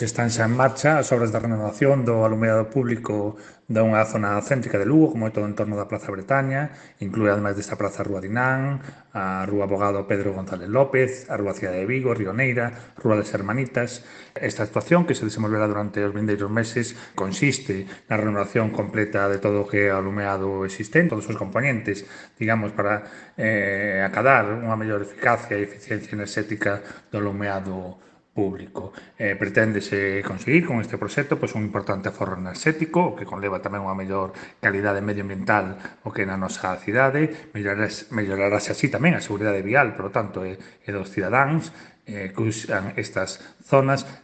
Están xa en marcha as obras de renovación do alumeado público dunha zona céntrica de Lugo, como é todo o entorno da Praza Bretaña, inclúe ademais desta praza a Rúa Dinán, a Rúa Abogado Pedro González López, a Rúa Cidade de Vigo, Rioneira, Rúa das Hermanitas. Esta actuación, que se desenvolverá durante os vindeiros meses, consiste na renovación completa de todo o que é o alumeado existente, todos os componentes, digamos, para acadar unha mellor eficacia e eficiencia enerxética do alumeado público. Preténdese conseguir con este proxecto pois, un importante aforro enerxético, o que conleva tamén unha mellor calidade medioambiental o que na nosa cidade, mellorarase así tamén a seguridade vial, por lo tanto, e dos cidadáns que usan estas zonas